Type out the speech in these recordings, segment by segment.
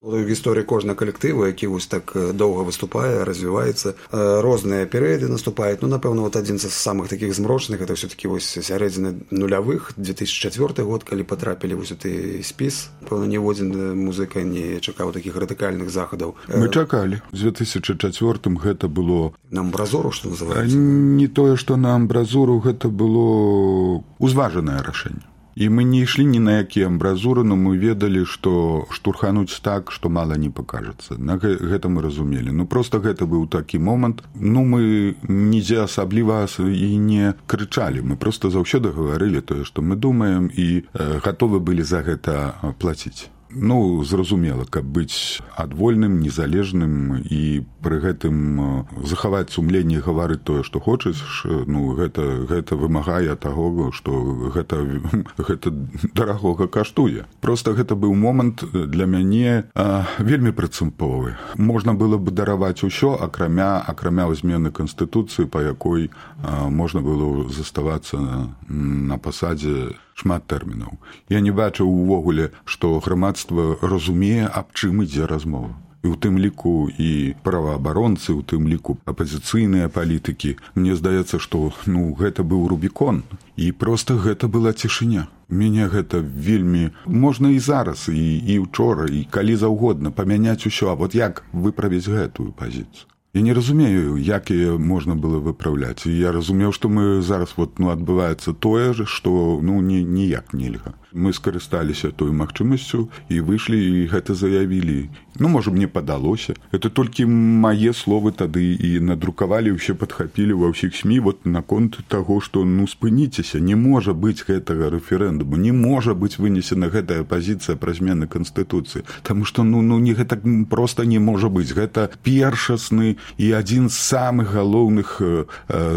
Гісторыя кожнага калектыву, які вось так доўга выступае, развіваецца, розныя перыяды наступаюць. Ну, напэўна, вот адзін з самых такіх змрочных, это ўсё-такі вось сярэдзіна нулявых, 2004 год, калі патрапілі вось у той спіс. Пэўна, ніводзін музыка не чакаў такіх радыкальных захадаў. Мы чакалі. У 2004 гэта было... На амбразуру, што называецца? Не тое, што на амбразуру, гэта было узважанае рашэнне. І мы не ішлі ні на якія амбразуры, но мы ведалі, што штурхануць так, што мала не пакажацца. Гэта мы разумелі. Ну, проста гэта быў такі момант. Ну, мы нідзе асабліва і не крычалі. Мы проста заўсёды гаварылі тое, што мы думаем, і гатовы былі за гэта плаціць. Ну, зразумела, каб быць адвольным, незалежным і пры гэтым захаваць сумленне і гаварыць тое, што хочаш, ну, гэта вымагае таго, што гэта дарагога каштуе. Проста гэта быў момант для мяне вельмі прынцыповы. Можна было б дараваць усё, акрамя змены Канстытуцыі, па якой можна было заставацца на пасадзе шмат тэрмінаў. Я не бачыў увогуле, што грамадства разумее, аб чым ідзе размова. І ў тым ліку і праваабаронцы, у тым ліку апазіцыйныя палітыкі. Мне здаецца, што гэта быў Рубікон. І проста гэта была цішыня. Мяне гэта вельмі... Можна і зараз, і ўчора, і калі заўгодна памяняць усё. А вот як выправіць гэтую пазіцыю? Я не разумею, як яе можна было выпраўляць. І я разумеў, што мы зараз адбываецца тое ж, што ніяк нельга. Мы скарысталіся той магчымасцю і выйшлі, і гэта заявілі. Ну, можа, мне падалося. Это толькі мае словы тады і надрукавалі, ўсе падхапілі ва ўсіх СМІ наконт таго, што спыніцеся, не можа быць гэтага рэферэндуму, не можа быць вынесена гэтая пазіцыя пра змены Канстытуцыі. Таму што гэта проста не можа быць. Гэта першасны і адзін з самых галоўных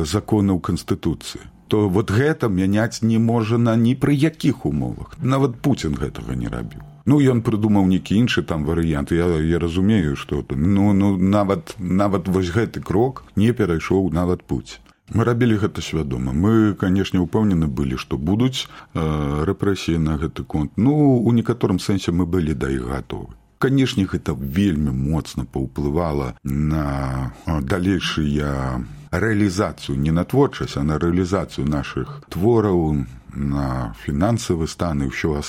законаў Канстытуцыі. То вот гэта мяняць не можа ні пры якіх умовах. Нават Пуцін гэтага не рабіў. Ну, ён прыдумаў нейкі іншы там варыянт. Я разумею, што нават вось гэты крок не перайшоў нават Пуцін. Мы рабілі гэта свядома. Мы, канешне, упэўнены былі, што будуць рэпрэсіі на гэты конт. Ну, у некаторым сэнсе мы былі да іх гатовы. Канешне, гэта вельмі моцна паўплывала на далейшыя рэалізацыю, не на творчасць, а на рэалізацыю нашых твораў, на фінансавы стан і ўсё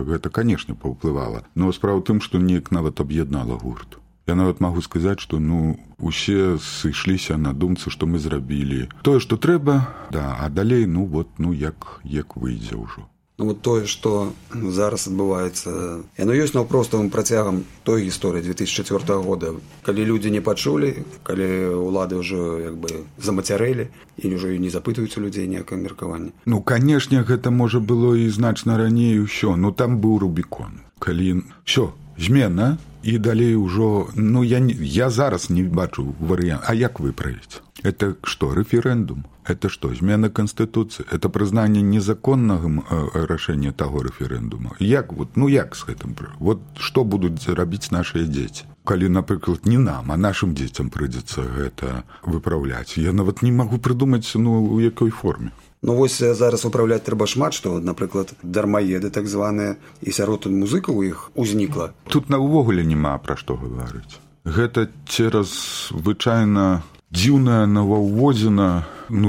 гэта, канешне, паўплывала. Но справа ў тым, што неяк нават аб'яднала гурт. Я нават магу сказаць, што усе сышліся на думцы, што мы зрабілі тое, што трэба, а далей, як выйдзе ўжо. Ну, вот тое, што зараз адбываецца, яно ёсць наўпроставым працягам той гісторыі 2004 года, калі людзі не пачулі, калі ўлады ўжо замацярэлі і ўжо не запытваюць у людзей ніякае меркаванне. Ну, канешне, гэта можа было і значна раней усё, там быў Рубікон. Калі ўсё, змена, і далей ўжо, я зараз не бачу варыянт. А як выправіць? Это што, рэферэндум? Это што, змена Канстытуцыі? Это прызнанне незаконнага рашэння таго рэферэндума? Як з гэтым? Вот што будуць рабіць нашыя дзеці? Калі, напрыклад, не нам, а нашым дзецям прыйдзецца гэта выпраўляць. Я нават не магу прыдумаць, у якой форме. Ну, вось зараз выпраўляць трэба шмат, што, напрыклад, дармаеды так званыя, і сярод музыкаў іх узнікла. Тут увогуле няма пра што гаварыць. Гэта цераз звычайна дзіўная новаўводзіна,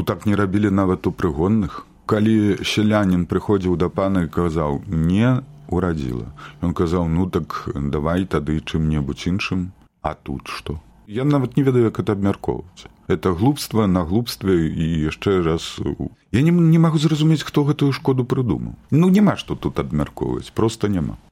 так не рабілі нават у прыгонных. Калі селянін прыходзіў да пана і казаў, не урадзіла. Ён казаў, так давай тады чым-небудзь іншым, а тут што? Я нават не ведаю, як это абмяркоўваць. Это глупства на глупстве і яшчэ раз... Я не магу зразумець, хто гэтую шкоду прыдумаў. Няма што тут абмяркоўваць, проста няма.